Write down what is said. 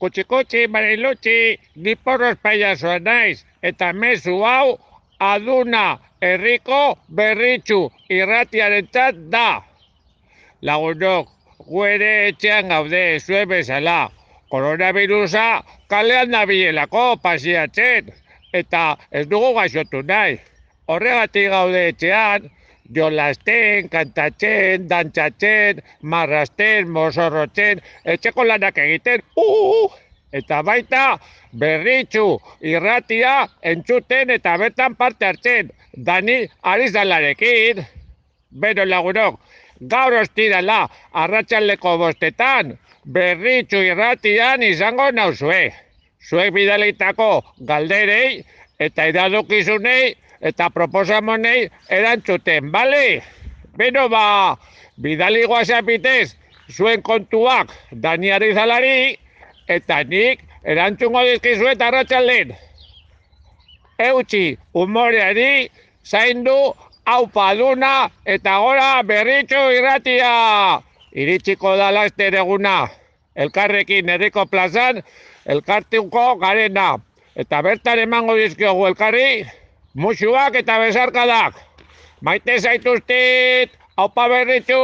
Kutsi, Marilutxi, ni porros pailazoa naiz, eta mezu hau aduna herriko berritxu irratiarentzat da. Lagunok, gu ere etxean gaude, zuen bezala. Koronavirusa kalean nabilelako pasiatzen, eta ez dugu gaixotu nahi. Horregatik gaude etxean, jolasten, kantatzen, dantzatzen, marrasten, mozorrotzen, etxeko lanak egiten, eta baita berritxu irratia entzuten eta bertan parte hartzen, Dani Arizalarekin. Beno lagunok, gaur ostirala arratsaldeko 5:00 berritxu irratian izango nauzue. Zuek bidalitako galderei eta iradokizunei eta proposamonei erantzuten, bale? Beno bidali WhatsAppitez zuen kontuak Dani Arizalari eta nik erantzungo dizkizuet arratsalden. Eutsi humoreari, zaindu, aupa aduna eta gora berritxu irratia! Iritsiko da laster eguna, elkarrekin herriko plazan, elkartuko garena. Eta bertan emango dizkiogu elkarri, musuak eta besarkadak. Maite zaituztet, aupa berritxu!